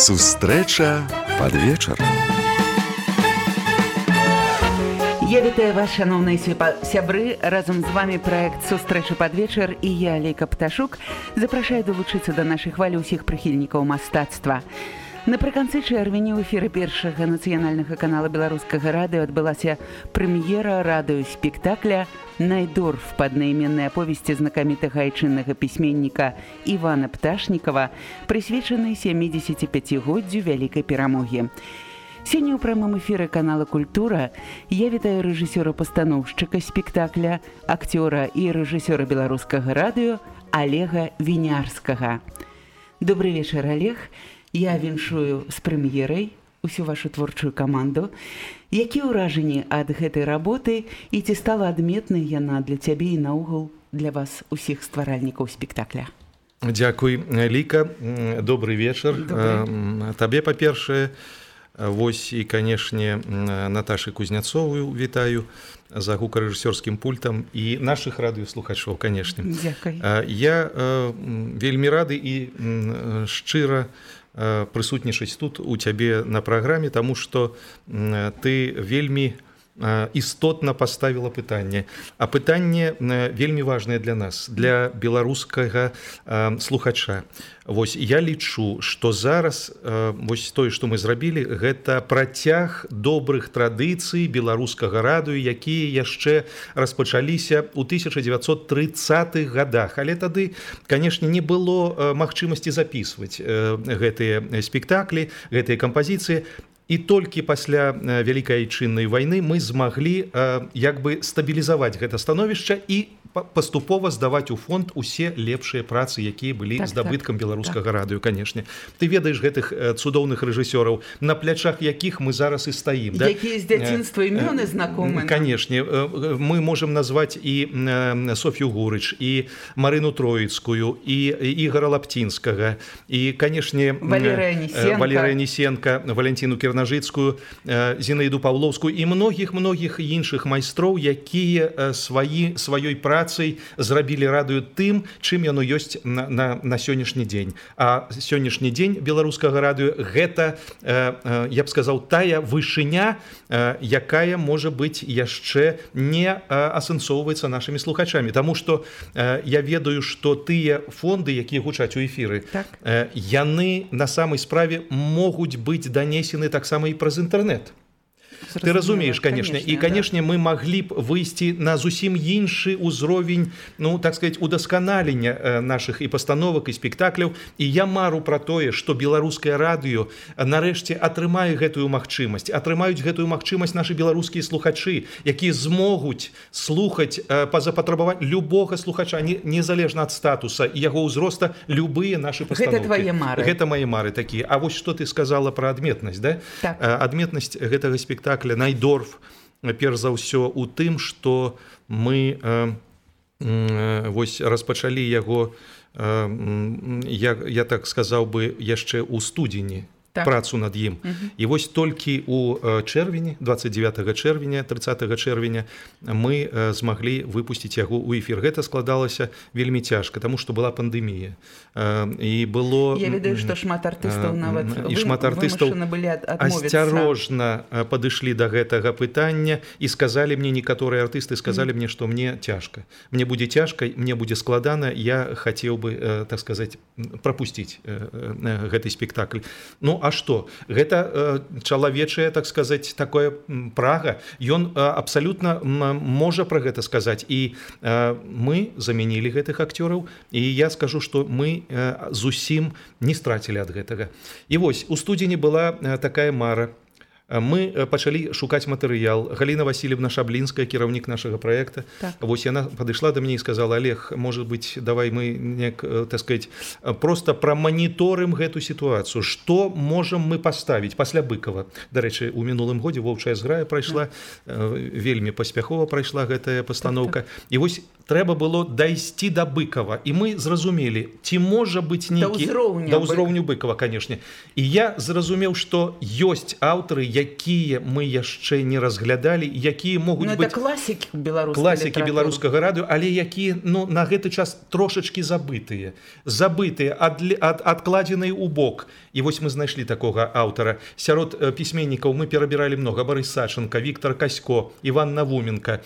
Сустрэча пад вечар. Я вітаю вас, шановныя сябры. Разам з вами праект «Сустрэча пад вечар» і я, Лейка Пташук, запрашаю далучыцца да нашай хвалі ўсіх прыхільнікаў мастацтва. Напрыканцы чэрвеня ў эфіры першага нацыянальнага канала беларускага радыё адбылася прэм'ера радыёспектакля «Найдорф» пад аднайменнай аповесці знакамітага айчыннага пісьменніка Івана Пташнікава, прысвечанай 75-годдзю вялікай перамогі. Сёння ў прамым эфіры канала «Культура» я вітаю рэжысёра-пастаноўшчыка спектакля, акцёра і рэжысёра беларускага радыё Олега Вінярскага. Добрый вечар, Олег. Я віншую з прэм'ерай усю вашу творчую каманду. Якія ўражанні ад гэтай работы і ці стала адметнай яна для цябе і наогул для вас усіх стваральнікаў спектакля? Дзякуй, Ліка. Добрый вечар. Табе, па-першае, вось і, канешне, Наташы Кузняцовую вітаю за гукарэжысёрскім пультам і нашых радыёслухачоў, канешне. Дзякуй. Я вельмі рады і шчыра прысутнічаць тут у цябе на праграме, таму што ты вельмі істотна паставіла пытанне. А пытанне вельмі важнае для нас, для беларускага слухача. Вось я лічу, што зараз вось тое, што мы зрабілі, гэта працяг добрых традыцый беларускага радыё, якія яшчэ распачаліся ў 1930-х годах. Але тады, канешне, не было магчымасці запісваць гэтыя спектаклі, гэтыя кампазіцыі. І толькі пасля вялікай айчыннай вайны мы змаглі як бы стабілізаваць гэта становішча і паступова здаваць у фонд усе лепшыя працы, якія былі здабыткам беларускага радыё, канешне. Ты ведаеш гэтых цудоўных рэжысёраў, на плячах якіх мы зараз і стаім. Якія з дзяцінства імёны знакомы. Канешне, мы можам назваць і Соф'ю Гурыч, і Марыну Троіцкую, і Ігора Лаптінскага, і, канешне, Валерыя Несенка, Валянціну Кірнажыцкую, Зінаіду Паўлоўскую і многіх іншых майстроў, якія сваёй працай зрабілі радыё тым, чым яно ёсць на сённяшні дзень. А сённяшні дзень беларускага радыё гэта, я б сказаў, тая вышыня, якая, можа быць, яшчэ не асэнсоўваецца нашымі слухачамі. Таму што я ведаю, што тыя фонды, якія гучаць у эфіры, яны на самай справе могуць быць данесены таксама і праз інтэрнэт. Ты разумееш, канешне, і, канешне, мы маглі б выйсці на зусім іншы ўзровень, ну, так сказаць, удасканалення нашых і пастановак, і спектакляў. І я мару пра тое, што беларускае радыё нарэшце атрымае гэтую магчымасць. Атрымаюць гэтую магчымасць нашы беларускія слухачы, якія змогуць слухаць па запатрабаванню любога слухача, незалежна ад статуса і яго ўзроста, любыя нашы пастановкі. Гэта твае мары. Гэта мае мары такія. А вось што ты сказала пра адметнасць, да? Так. Адметнасць гэтага спектакля «Найдорф», перш за ўсё, у тым, што мы вось распачалі яго, я так сказаў бы, яшчэ ў студзені, працу над ім. І вось толькі ў чэрвені, 29 чэрвеня, 30 чэрвеня мы змаглі выпусціць яго ў эфір. Гэта складалася вельмі цяжка, таму што была пандэмія. І было... Я ведаю, што шмат артыстаў нават вымушаны былі адмовіцца. Асцярожна падышлі да гэтага пытання і сказалі мне, некаторыя артысты сказалі мне, што мне цяжка. Мне будзе цяжка, мне будзе складана, я хацеў бы, так сказаць, прапусціць гэты спектакль. Ну, а што? Гэта чалавечая, так сказаць, такое прага. Ён абсалютна можа пра гэта сказаць. І мы замянілі гэтых акцёраў, і я скажу, што мы зусім не страцілі ад гэтага. І вось, у студзені была такая мара. Мы пачалі шукаць матэрыял. Галіна Васильевна Шаблінская, кіраўнік нашага праекта. Вось яна падышла да мяне і сказала: Олег, может быть, давай мы неяк, так сказать, просто праманіторым гэту сітуацыю. Што можам мы паставіць пасля Быкова? Дарэчы, у мінулым годзе воўчая зграя прайшла, вельмі паспяхова прайшла гэтая пастаноўка. І вось трэба было дайсці да Быкова, і мы зразумелі, ці можа быць нейкі да ўзроўню Быкова, канешне. І я зразумеў, што ёсць аўтары, якія мы яшчэ не разглядалі, якія могуць быць класікі беларускага радыё, але якія на гэты час трошачкі забытыя, адкладзеныя ў бок. І вось мы знайшлі такога аўтара. Сярод пісьменнікаў мы перабіралі многа: Барыс Саченко, Віктор Касько, Іван Навуменко,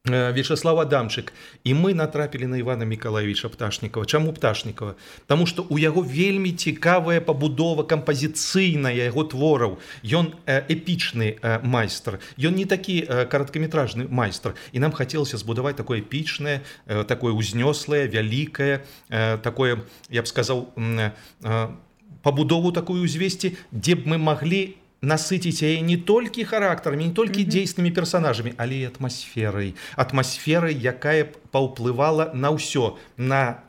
Вячеслав Адамчык. І мы натрапілі на Івана Мікалаевіча Пташнікова. Чаму Пташнікова? Таму што ў яго вельмі цікавая пабудова кампазіцыйная яго твораў. Ён эпічны майстар. Ён не такі кароткаметражны майстар. І нам хацелася збудаваць такое эпічнае, такое узнёслае, вялікае, такое, я б сказаў, пабудову такую ўзвесці, дзе б мы маглі насыціць яе не толькі характарамі, не толькі дзейснымі персанажамі, але і атмасферай, якая паўплывала на ўсё, на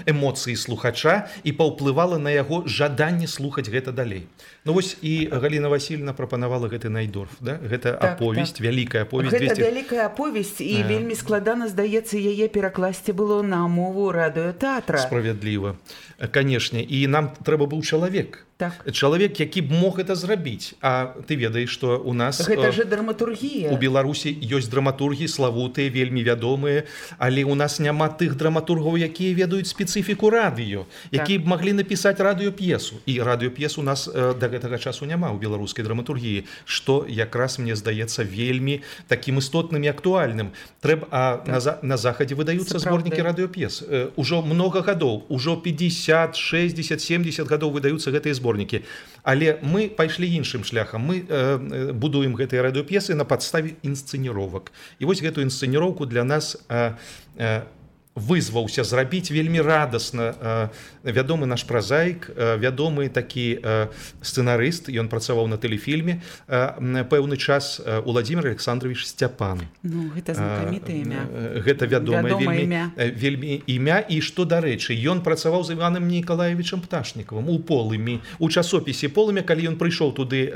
эмоцыі слухача і паўплывала на яго жаданне слухаць гэта далей. Ну вось і Галіна Васильевна прапанавала гэты Найдорф, да? Гэта аповесць, вялікая аповесць. Гэта вялікая аповесць, і вельмі складана, здаецца, яе перакласці было на мову радыётэатра. Справядліва, канешне, і нам трэба быў чалавек. Чалавек, які б мог гэта зрабіць. А ты ведаеш, што у нас гэта же драматургія. У Беларусі ёсць драматургі славутыя, вельмі вядомыя, але у нас няма тых драматургаў, якія ведаюць спецыфіку радыё, якія б маглі напісаць радыёп'есу. І радыёп'ес у нас да гэтага часу няма ў беларускай драматургіі, што якраз, мне здаецца, вельмі такім істотным і актуальным. На захадзе выдаюцца зборнікі радыёп'ес. Ужо многа гадоў, ужо 50, 60, 70 гадоў выдаюцца гэтыя зборнікі. Але мы пайшлі іншым шляхам. Мы будуем гэтыя радыёп'есы на падставе інсцэніровак. І вось гэтую інсцэніроўку для нас вызваўся зрабіць вельмі радасна вядомы наш празаік, вядомы такі сцэнарыст, ён працаваў на тэлефільме пэўны час, Уладзімир Александрович Сцяпан. Ну, гэта знакамітае імя. Гэта вядомае вельмі імя. І што, дарэчы, ён працаваў з Іванам Нікалаевічам Пташнікавым у Полымі, у часопісе Полымя. Калі ён прыйшоў туды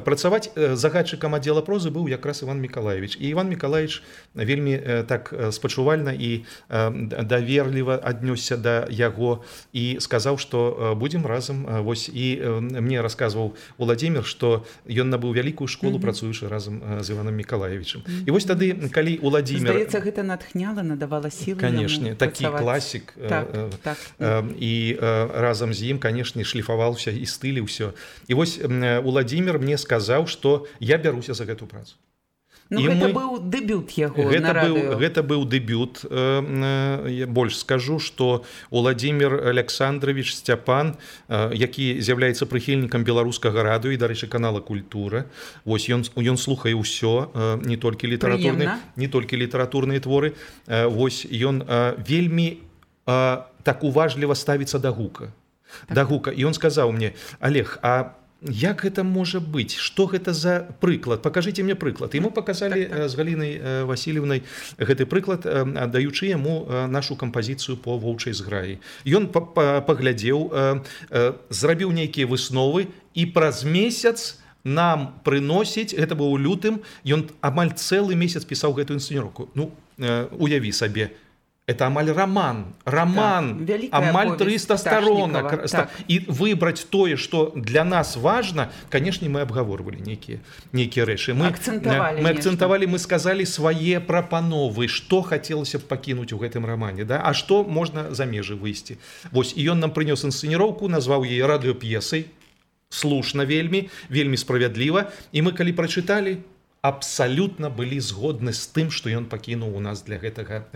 працаваць, загадчыкам аддзела прозы быў якраз Іван Мікалаевич. І Іван Мікалаевич вельмі так спачувальна і даверліва аднёсся да яго і сказаў, што будзем разам. Вось і мне расказваў Уладзімир, што ён набыў вялікую школу, працуючы разам з Іванам Мікалаевічым. І вось тады, калі Уладзімир... Здаецца, гэта натхняла, надавала сілы яму працаваць. Такі класік. І разам з ім, канешне, шліфаваўся і стылі ўсё. І вось Уладзімир мне сказаў, што я бяруся за гэту працу. Ну, гэта быў дэбют яго на радыё. Гэта быў дэбют. Я больш скажу, што Уладзімир Александрович Сцяпан, які з'яўляецца прыхільнікам беларускага радыё і, дарэчы, канала «Культура», вось ён слухае ўсё, не толькі літаратурныя творы. Вось ён вельмі так уважліва ставіцца да гука. І ён сказаў мне: Олег, а як гэта можа быць? Што гэта за прыклад? Пакажыце мне прыклад. І мы паказалі з Галінай Васильевнай гэты прыклад, аддаючы яму нашу кампазіцыю по воўчай зграі. Ён паглядзеў, зрабіў нейкія высновы, і праз месяц нам прыносіць, гэта быў у лютым, ён амаль цэлы месяц пісаў гэтую інсцэніроўку. Ну, уяві сабе, это амаль роман, амаль 300 сторонок. И выбрать тое, что для нас важно, конечно, мы обговорывали некие рэчы. Мы акцентовали, мы сказали свае прапановы, что хотелось бы покинуть у гэтым романе, да? А что можно за межы выйсці. Вось, и он нам принес инсценіроўку, назвал ее радыёп'есай, слушна вельмі справядліва, и мы, калі прочитали, абсалютна былі згодны з тым, што ён пакінуў у нас для гэтага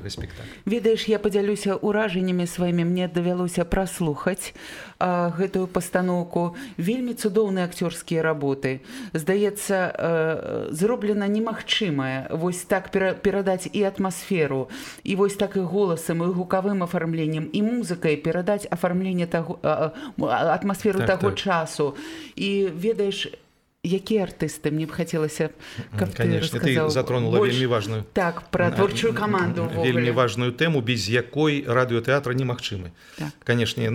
спектакля. Ведаеш, я падзялюся ўражаннямі сваімі. Мне давялося праслухаць гэтую пастаноўку. Вельмі цудоўныя акцёрскія работы. Здаецца, зроблена немагчымае вось так перадаць і атмасферу, і вось так і голасам, і гукавым афармленнем, і музыкай перадаць афармленне атмасферу таго часу. І ведаеш, Якія артысты? Мне б хацелася, каб конечно, ты затронула вельмі важную, так, пра творчую каманду вельмі важную тэму, без якой радыётэатр немагчымы. Так. Канешне,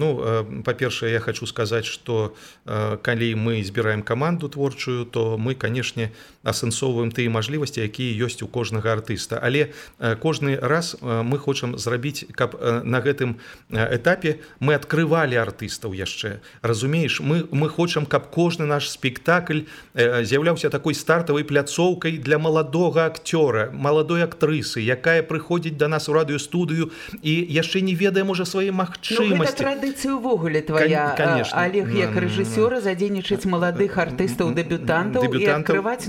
па-першае, я хочу сказаць, што калі мы збіраем каманду творчую, то мы, канешне, асэнсоўваем тыя мажлівасці, якія ёсць у кожнага артыста. Але кожны раз мы хочам зрабіць, каб на гэтым этапе мы адкрывалі артыстаў яшчэ. Разумееш, мы хочам, каб кожны наш спектакль з'яўляўся такой стартавай пляцоўкай для маладога акцёра, маладой актрысы, якая прыходзіць да нас у радыёстудыю і яшчэ не ведае, можа, свае магчымасці. Гэта традыцыя ўвогуле твая, Олег, як рэжысёра, задзейнічаць маладых артыстаў-дэбютантаў і адкрываць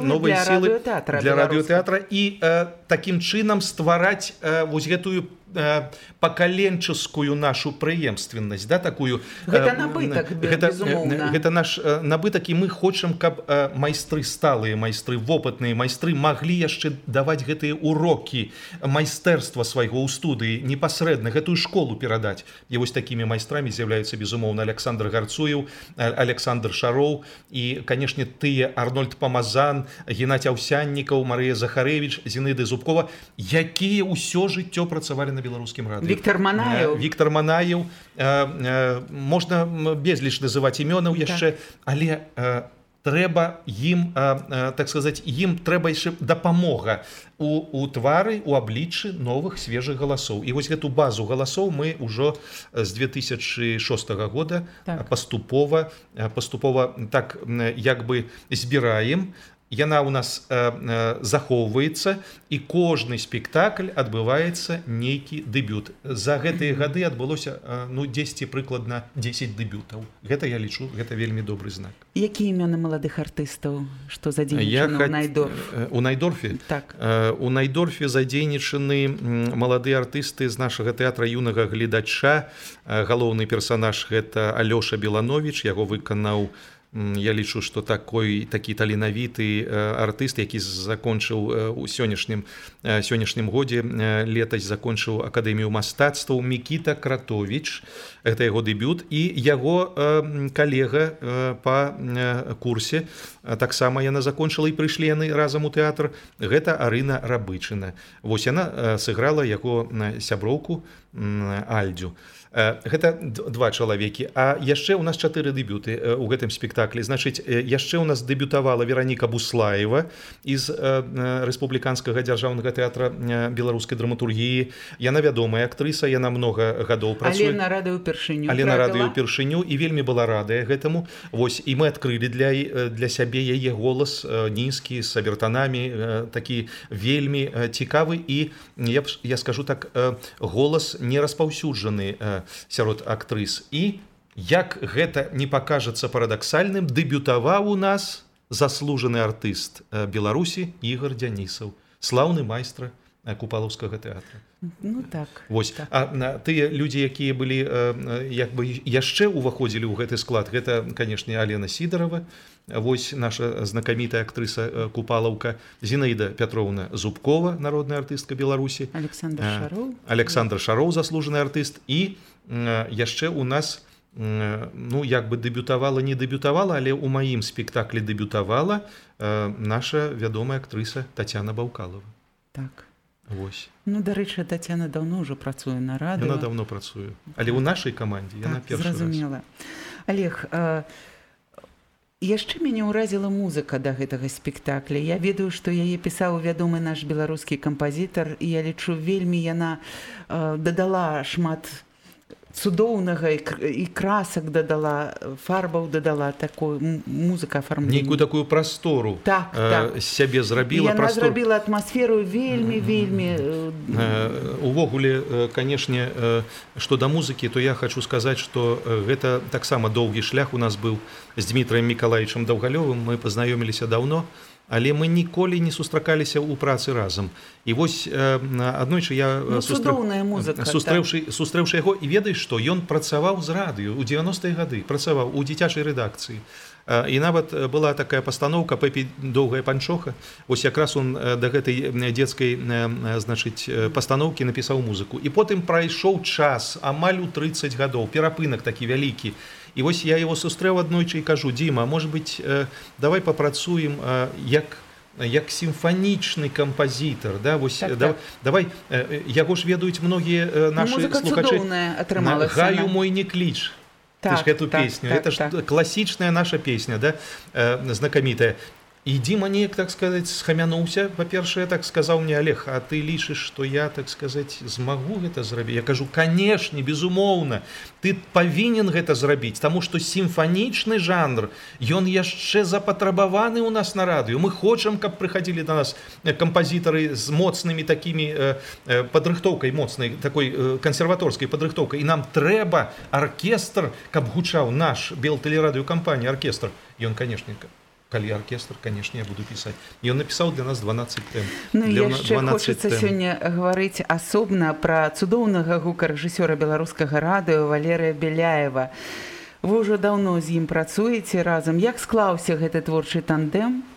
новыя сілы для радыётэатра і такім чынам ствараць вось гэтую пакаленческую нашу прыемственнасць, да, такую. Гэта набытак, безумоўна. Гэта наш набытак, і мы хочам, каб майстры, сталыя майстры, вопытныя майстры маглі яшчэ даваць гэтыя урокі майстэрства свайго ў студыі, непасрэдна гэтую школу перадаць. І вось такімі майстрамі з'яўляюцца, безумоўна, Александр Гарцуеў, Александр Шароў і, канешне, тыя Арнольд Памазан, Геннадзь Аўсяннікаў, Марыя Захарэвіч, Зінаіда Зубкова, якія ўсё жыццё працавалі на беларускім радыё. Віктор Манаеў, можна безліч называць імёнаў яшчэ, але трэба ім, так сказаць, ім трэба яшчэ дапамога у твары, у абліччы новых свежых галасоў. І вось гэту базу галасоў мы ўжо з 2006 года паступова так як бы збіраем. Яна ў нас захоўваецца, і кожны спектакль адбываецца нейкі дэбют. За гэтыя гады адбылося 10 прыкладна 10 дэбютаў. Гэта я лічу, гэта вельмі добры знак. Якія імёны маладых артыстаў, што задзейнічаны ў Найдорфе? У Найдорфе? Так. У Найдорфе задзейнічаны маладыя артысты з нашага тэатра юнага гледача. Галоўны персанаж гэта Алёша Беланович, яго выканаў, я лічу, што такі таленавіты артыст, які закончыў у сённяшнім годзе, летась закончыў Акадэмію мастацтваў, Мікіта Кратовіч, гэта яго дэбют, і яго калега па курсе, таксама яна закончыла, і прыйшлі яны разам у тэатр, гэта Арына Рабычына. Вось яна сыграла яго сяброўку Альдзю. Гэта два чалавекі, а яшчэ ў нас 4 дэбюты ў гэтым спектаклі. Значыць, яшчэ ў нас дэбютавала Вераніка Буслаева з Рэспубліканскага дзяржаўнага тэатра беларускай драматургіі. Яна вядомая актрыса, яна многа гадоў працуе. Але на радыё ўпершыню, і вельмі была радая гэтаму. Вось, і мы адкрылі для сябе яе голас нізкі, з абертанамі, такі вельмі цікавы, і я скажу так, голас не распаўсюджаны сярод актрыс. І, як гэта не пакажацца парадаксальным, дэбютаваў у нас заслужаны артыст Беларусі Ігор Дзянісаў, слаўны майстра Купалаўскага тэатра. Ну так. Вось. А тыя людзі, якія былі як бы яшчэ ўваходзілі ў гэты склад, гэта, канешне, Алена Сідарова, вось наша знакамітая актрыса Купалаўка, Зінаіда Пятроўна Зубкова, народная артыстка Беларусі, Александр Шароў, заслужаны артыст, і яшчэ у нас, ну, як бы не дэбютавала, але ў маім спектаклі дэбютавала наша вядомая актрыса Тацяна Баўкалова. Так. Вось. Ну, дарэчы, Тацяна даўно ўжо працуе на радыё. Яна даўно працуе. Але ў нашай камандзе яна першы раз. Зразумела. Олег, яшчэ мяне ўразіла музыка да гэтага спектакля. Я ведаю, што яе пісаў вядомы наш беларускі кампазітар, і я лічу, вельмі яна дадала шмат цудоўнага і красак дадала, фарбаў дадала, такую музыка афармлення. Нейкую такую прастору сябе зрабіла. Яна зрабіла атмасферу вельмі. Увогуле, канешне, што да музыкі, то я хочу сказаць, што гэта таксама доўгі шлях у нас быў з Дмітраем Мікалаічам Даўгалёвым. Мы пазнаёміліся даўно, але мы ніколі не сустракаліся ў працы разам. І вось аднойчы я сустрэўшы яго, і ведаеш што, ён працаваў з радыё ў 90-е гады, працаваў у дзіцячай рэдакцыі. І нават была такая пастаноўка «Пэпі доўгая панчоха». Вось якраз он да гэтай дзецкай, значыць, пастаноўкі напісаў музыку. І потым прайшоў час, амаль у 30 гадоў, перапынак такі вялікі. І вось я его сустрэў аднойчы і кажу: Дзіма, может быть, давай папрацуем як сімфанічны кампазітар, да? Вось, давай, яго ж ведаюць многія нашы слухачы. «Гаю мой не кліч». Ты ж эту песню, это ж класічная наша песня, да? Знакамітая. І Дзіма неяк, так сказаць, схамянуўся. Па-першае, так сказаў мне: Олег, а ты лічыш, што я, так сказаць, змагу гэта зрабіць? Я кажу: канешне, безумоўна, ты павінен гэта зрабіць, таму што сімфанічны жанр, ён яшчэ запатрабаваны ў нас на радыё. Мы хочам, каб прыхадзілі да нас кампазітары з моцнымі такімі падрыхтоўкай, моцнай такой кансерваторскай падрыхтоўкай. І нам трэба аркестр, каб гучаў наш Белтэлерадыёкампанія аркестр. Ён, канешне, калі аркестр, канешне, я буду пісаць. Ён напісаў для нас 12 тэм. Ну, яшчэ хочацца сёння гаварыць асобна пра цудоўнага гукарэжысёра беларускага радыё Валерыя Беляева. Вы ўжо даўно з ім працуеце разам. Як склаўся гэты творчы тандем?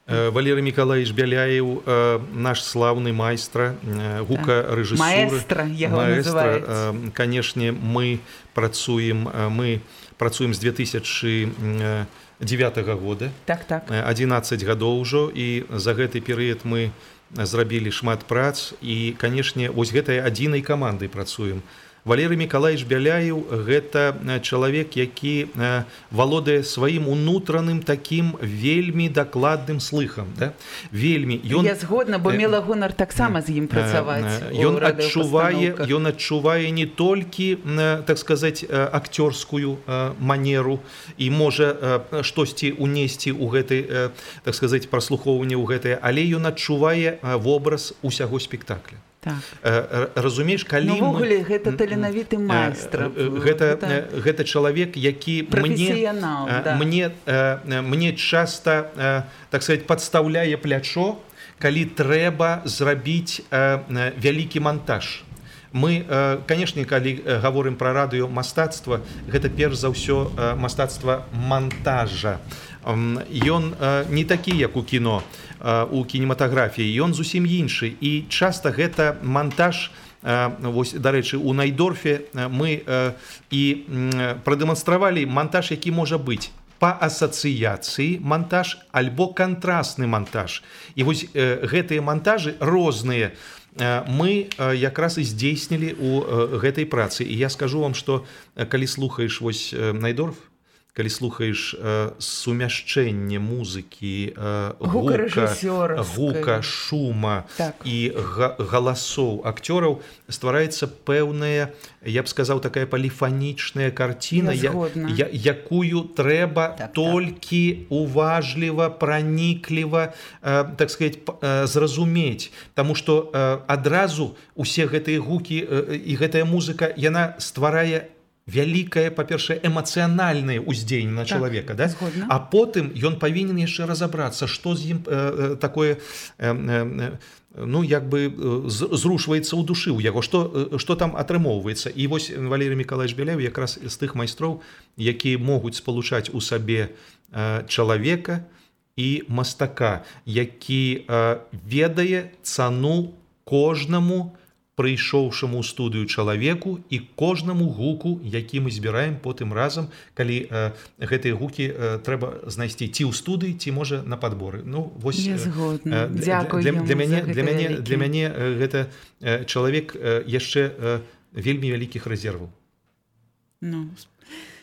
Валерий Миколаевич Беляев, наш славный майстра, гукарэжысуры. Маэстра, яго называюць. Конечно, мы працуем з 2009 года. Так. 11 гадоў ужо, і за гэты перыяд мы зрабілі шмат прац, і, канешне, вось гэтай адзінай камандай працуем. Валерий Миколаевич Беляев – гэта чалавек, які валодае сваім унутраным такім вельмі дакладным слыхам. Да? Вельмі. Я згодна, бо мела гонар таксама з ім працаваць. Ён адчувае не толькі, так сказаць, акцёрскую манеру і можа штосьці унесці ў гэтай, так сказаць, праслухоўванне ў гэтае, але ён адчувае вобраз усяго спектакля. Так. Разумееш, калі увогуле гэта таленавіты майстр. Гэта чалавек, які мне часта, так сказаць, падстаўляе плячо, калі трэба зрабіць вялікі монтаж. Мы, канешне, калі гаворым пра радыёмастацтва, гэта перш за ўсё мастацтва монтажа. Ён не такі, як у кіно, у кінематаграфіі, ён зусім іншы. І часта гэта монтаж, вось, дарэчы, у Найдорфе мы і прадэманстравалі монтаж, які можа быць па асацыяцыі монтаж альбо кантрасны монтаж. І вось гэтыя монтажы розныя мы якраз і здзейснілі ў гэтай працы. І я скажу вам, што калі слухаеш вось Найдорф, калі слухаеш сумяшчэнне музыкі, гука, шума і галасоў акцёраў, ствараецца пэўная, я б сказаў, такая паліфанічная карціна, якую трэба толькі уважліва, пранікліва, так сказаць, зразумець. Таму што адразу усе гэтыя гукі і гэтая музыка, яна стварае вялікае, па-першае, эмацыянальнае ўздзеянне на чалавека, да? А потым ён павінен яшчэ разабрацца, што з ім такое, ну, як бы зрушваецца ў душы ў яго, што там атрымоўваецца. І вось Валерий Миколаевич Беляев якраз з тых майстроў, якія могуць спалучаць у сабе чалавека і мастака, які ведае цану кожнаму прыйшоўшаму ў студыю чалавеку і кожнаму гуку, які мы збіраем потым разам, калі гэтыя гукі трэба знайсці ці ў студыі, ці, можа, на падборы. Ну, вось, дзякуй яму за гэта. Для мяне гэта чалавек яшчэ вельмі вялікіх рэзерваў. Ну,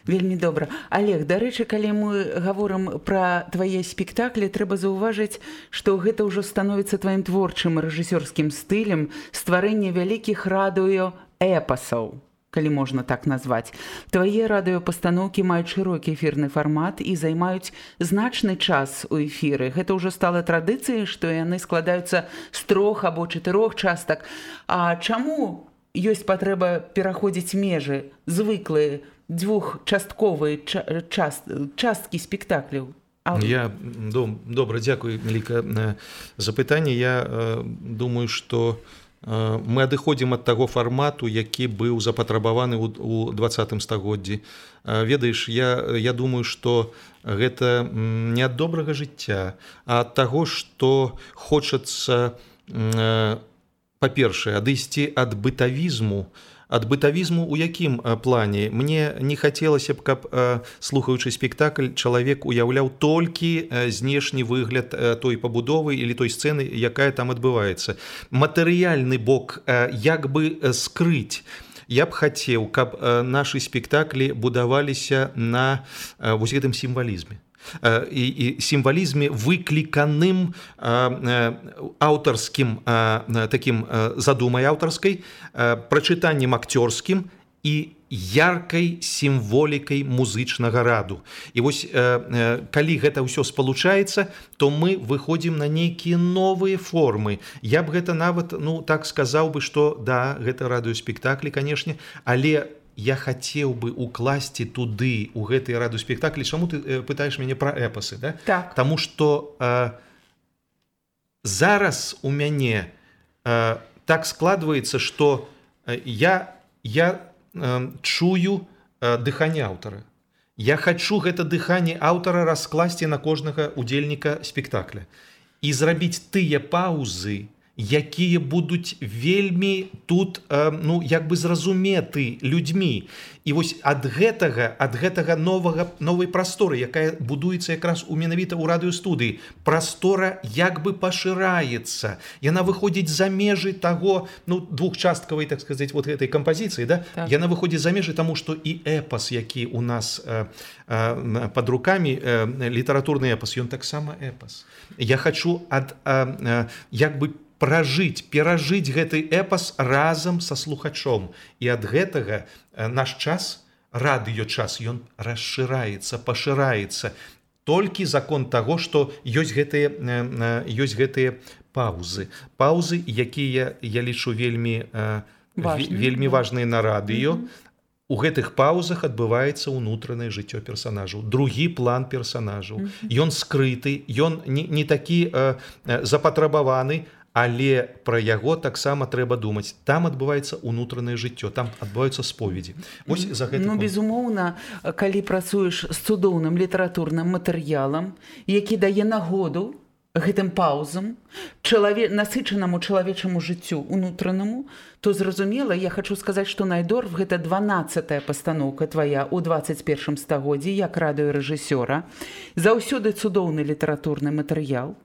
вельмі добра. Олег, дарэчы, калі мы гаворым пра твае спектаклі, трэба заўважыць, што гэта ўжо становіцца тваім творчым рэжысёрскім стылем стварэння вялікіх радыё-эпасаў, калі можна так назваць. Твае радыёпастаноўкі маюць шырокі эфірны фармат і займаюць значны час у эфіры. Гэта ўжо стала традыцыяй, што яны складаюцца з 3 або 4 частак. А чаму ёсць патрэба пераходзіць межы, звыклыя, двухчастковыя часткі спектакляў? Добра, дзякуй, Меліка, за пытанне. Я думаю, што мы адыходзім ад таго фармату, які быў запатрабаваны ў 20 стагоддзі. Ведаеш, я думаю, што гэта не ад добрага жыцця, а ад таго, што хочацца, па-першае, адысці ад бытавізму, ад бытавізму ў якім плане? Мне не хацелася б, каб, слухаючы спектакль, чалавек уяўляў толькі знешні выгляд той пабудовы или той сцэны, якая там адбываецца. Матэрыяльны бок як бы скрыць. Я б хацеў, каб нашы спектаклі будаваліся на вось гэтым сімвалізме. І сімвалізме выкліканым аўтарскім такім задумай аўтарскай, прачытаннем акцёрскім і яркай сімволікай музычнага раду. І вось калі гэта ўсё спалучаецца, то мы выходзім на нейкія новыя формы. Я б гэта нават, так сказаў бы, што да, гэта радыёспектаклі, канешне, але я хацеў бы укласці туды, у гэтыя радыёспектаклі. Чаму ты пытаеш мяне пра эпасы, да? Так. Таму што зараз у мяне так складваецца, што я чую дыханне аўтара. Я хачу гэта дыханне аўтара раскласці на кожнага удзельніка спектакля і зрабіць тыя паўзы, якія будуць вельмі тут, як бы зразуметы людзьмі. І вось ад гэтага новай прасторы, якая будуецца якраз менавіта ў радыёстудыі, прастора як бы пашыраецца. Яна выходзіць за межы таго, двухчасткавай, так сказаць, вот гэтай кампазіцыі, да? Так. Яна выходзіць за межы таму, што і эпас, які у нас пад рукамі, літаратурны эпас, ён таксама эпас. Я хачу як бы перажыць гэты эпас разам са слухачом. І ад гэтага наш час, радыёчас, ён расшыраецца, пашыраецца. Толькі закон таго, што ёсць гэтыя паўзы. Паўзы, якія, я лічу, вельмі важныя на радыё. У гэтых паўзах адбываецца ўнутранае жыццё персанажаў, другі план персанажаў. Ён скрыты, ён не такі запатрабаваны, але пра яго таксама трэба думаць. Там адбываецца ўнутранае жыццё, там адбываюцца споведзі. Вось за гэта. Безумоўна, калі працуеш з цудоўным літаратурным матэрыялам, які дае нагоду гэтым паўзам, насычанаму чалавечаму жыццю ўнутранаму, то зразумела, я хачу сказаць, што найдорф гэта 12-я пастаноўка твая ў 21 стагоддзі як радыёрэжысёра. Заўсёды цудоўны літаратурны матэрыял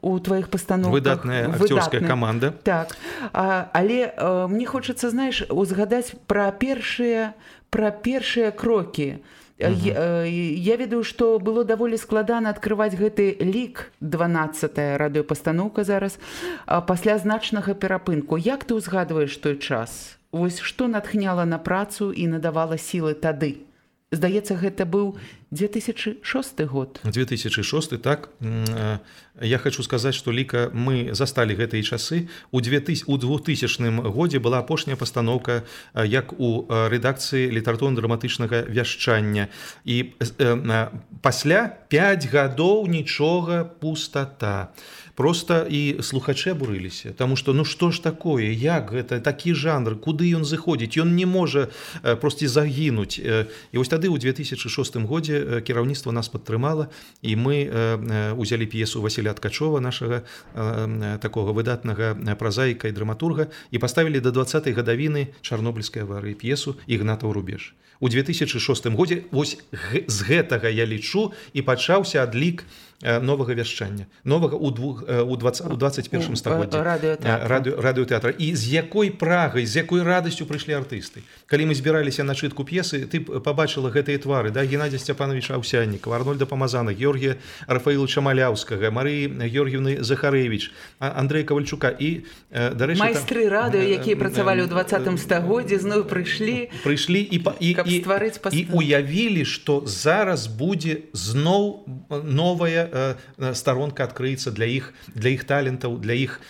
у тваіх пастаноўках. Выдатная акцёрская каманда. Так. Але мне хочацца, знаеш, узгадаць пра першыя крокі. Я ведаю, што было даволі складана адкрываць гэты лік, 12-я радыёпастаноўка зараз, пасля значнага перапынку. Як ты ўзгадваеш той час? Вось што натхняла на працу і надавала сілы тады? Здаецца, гэта быў 2006 год. 2006, так. Я хочу сказаць, што ліка мы засталі гэтыя часы. У 2000 годзе была апошняя пастаноўка як у рэдакцыі літаратурна-драматычнага вяшчання. І пасля 5 гадоў нічога, пустата. Просто і слухачы абурыліся, таму што што ж такое, як гэта, такі жанр, куды ён зыходзіць, ён не можа проста загінуць. І вось тады ў 2006 годзе кіраўніцтва нас падтрымала, і мы узялі п'есу Васіля Ткачова, нашага такога выдатнага празаіка і драматурга, і паставілі да 20-й гадавіны Чарнобыльскай аварыі п'есу «Ігнатаў рубеж». У 2006 годзе вось з гэтага, я лічу, і пачаўся адлік новага вяшчання, новага у 21 стагоддзі радыётэатра. І з якой прагай, з якой радасцю прыйшлі артысты. Калі мы збіраліся на чытку п'есы, ты пабачыла гэтыя твары, да? Геннадзя Сцяпановича Аўсяннікава, Арнольда Памазана, Георгія Рафаіловича Маляўскага, Марыі Георгіевны Захарэвіч, Андрэя Кавальчука. І, дарэчы, майстры радыё, якія працавалі ў 20 стагоддзі, зноў прыйшлі, каб стварыць пастаноўку. І уявілі, што зараз будзе зноў новая старонка адкрыецца для іх талентаў, для іх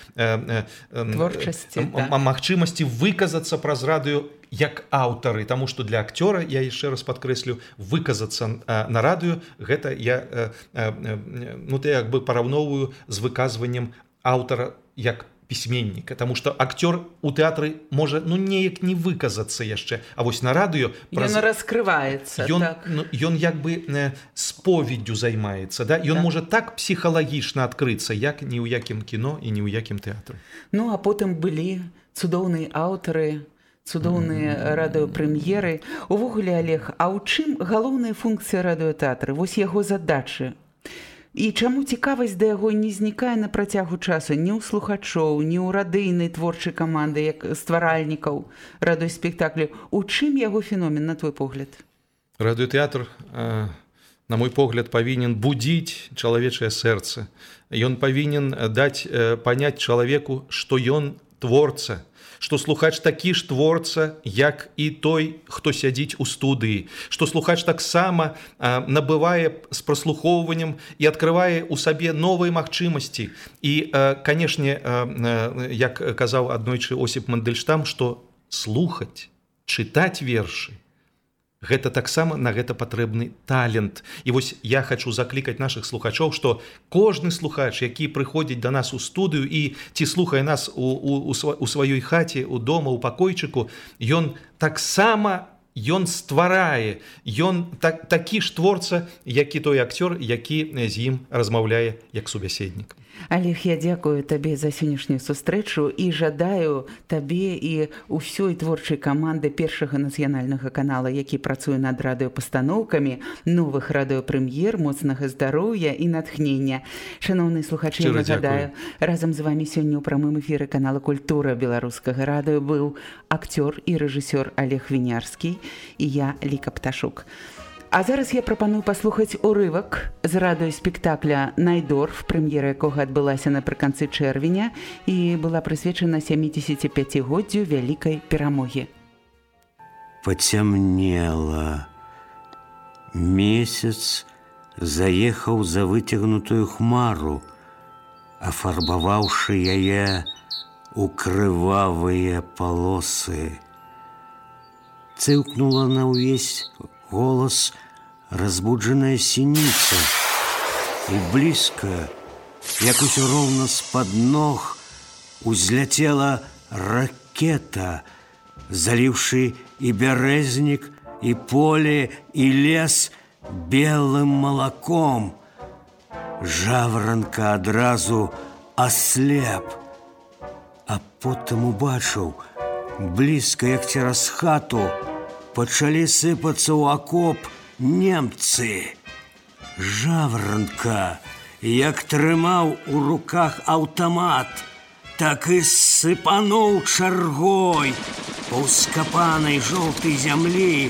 творчасці, магчымасці выказацца праз радыё як аўтары, таму што для акцёра, я яшчэ раз падкрэслю, выказацца на радыё, гэта я як бы параўноўваю з выказваннем аўтара як пісьменніка, таму што акцёр у тэатры можа неяк не выказацца яшчэ, а вось на радыё ён раскрываецца, ён як бы споведдю займаецца, да? Ён можа так псіхалагічна адкрыцца, як ні ў якім кіно і ні ў якім тэатры. А потым былі цудоўныя аўтары, цудоўныя радыёпрэм'еры. Увогуле, Олег, а ў чым галоўная функцыя радыётэатра? Вось яго задачы. І чаму цікавасць да яго не знікае на працягу часу ні ў слухачоў, ні ў радыйнай творчай каманды, як стваральнікаў радыёспектаклю? У чым яго феномен, на твой погляд? Радыётэатр, на мой погляд, павінен будзіць чалавечае сэрца. Ён павінен даць паняць чалавеку, што ён творца, што слухач такі ж творца, як і той, хто сядзіць у студыі, што слухач таксама набывае з праслухоўваннем і адкрывае ў сабе новыя магчымасці. І, канешне, як казаў аднойчы Осіп Мандельштам, што слухаць, чытаць вершы, гэта таксама на гэта патрэбны талент. І вось я хачу заклікаць нашых слухачоў, што кожны слухач, які прыходзіць да нас у студыю і ці слухае нас у сваёй хаце, у дома, у пакойчыку, ён таксама стварае, ён такі ж творца, як і той акцёр, які з ім размаўляе як субяседнік. Олег, я дзякую табе за сённяшнюю сустрэчу і жадаю табе і ўсёй творчай каманды Першага нацыянальнага канала, які працуе над радыёпастаноўкамі, новых радыёпрэм'ер, моцнага здароўя і натхнення. Шаноўныя слухачы, я нагадаю, разам з вамі сёння ў прамым эфіры канала «Культура» беларускага радыё быў акцёр і рэжысёр Олег Вінярскі і я, Ліка Пташук. А зараз я прапаную паслухаць урывак з радыёспектакля «Найдорф», прэм'ера якога адбылася напрыканцы чэрвеня і была прысвечана 75-годдзю вялікай перамогі. Пацямнела. Месяц заехаў за выцягнутую хмару, афарбаваўшы яе ў крывавыя палосы. Цыкнула на ўвесь голос разбудженная синица, и близко, як усё роўна з-пад ног, узлетела ракета, заліўшы і бярэзнік, і поле, і лес белым малаком. Жаворонка адразу аслеп, а потым убачыў, блізка, як цераз хату, пачалі сыпацца ў акоп немцы. Жаворонка, як трымаў у руках аўтамат, так і сыпануў чаргой па ўскапанай жоўтай зямлі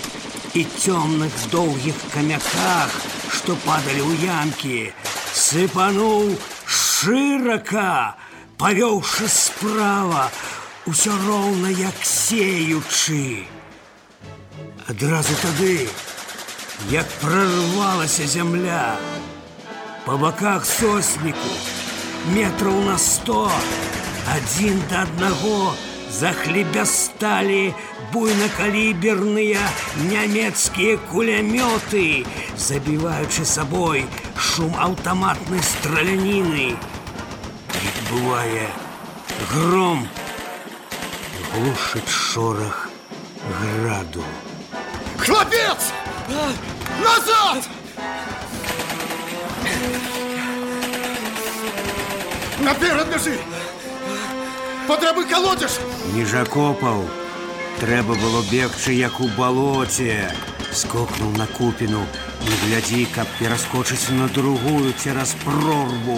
і цёмных доўгіх камяках, што падалі ў ямкі. Сыпануў шырака, павёўшы справа, усё роўна як сеючы. Адразу тады, як прорвалася зямля, па баках сосніку, метраў на 100, адзін да аднаго захлебясталі буйнакаліберныя нямецкія кулямёты, забіваючы сабой шум аўтаматнай страляніны. Як бывае, гром глушыць шорах граду. Хлопец! Назад! Наперад бежи! Патрэбы калодзеш! Ніж акопаў, трэба было бегчы, як у балоце. Скокнуў на купіну, не глядзі, каб пераскочыць на другую цераз прорву.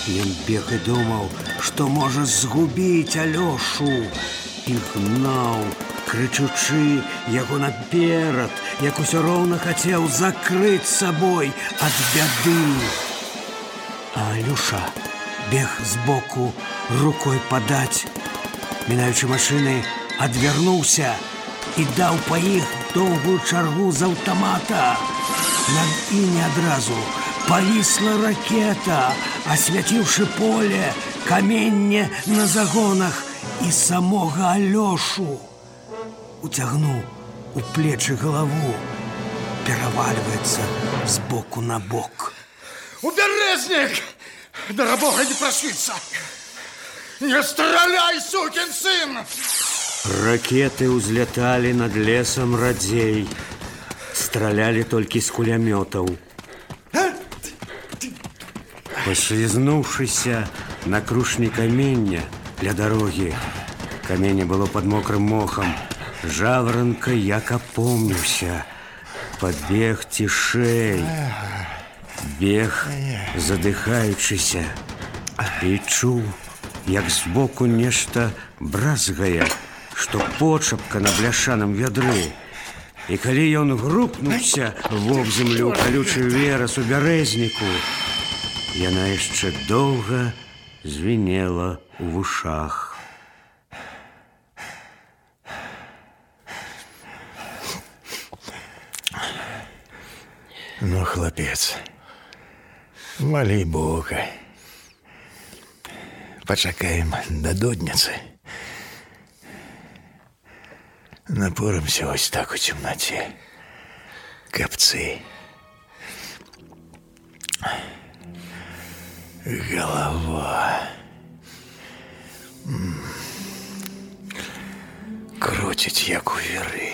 Ён бег і думаў, што можа згубіць Алёшу. І гнаў, крычучы яго наперад, як усё роўна хацеў закрыць сабой ад бяды. А Алёша бег збоку, рукой падаць. Мінаючы машыны, адвярнуўся і даў па іх доўгую чаргу з аўтамата. Над імі адразу павісла ракета, асвяціўшы поле, каменне на загонах і самога Алёшу. Уцягнуў у плечы галаву, перавальваецца з боку на бок. Убережник! Да бога не прошиться! Не стреляй, сукин сын! Ракеты ўзляталі над лесам радзей. Стралялі толькі з кулямётаў. Паслізнуўшыся на крушні камення ля дарогі, каменне было пад мокрым мохам, Жаворонка як апомніўся, падбег цішэй. Бег, задыхаючыся, і чуў, як збоку нешта бразгае, што почапка на бляшаным вядры. І калі ён грукнуўся вобземлю калючы верас у бярэзніку, яна яшчэ доўга звінела ў вушах. Ну, хлапец, молі Бога. Пачакаем да додніцы. Напоримся ось так у темноте. Капцы. Голова. Крутить, як у віри.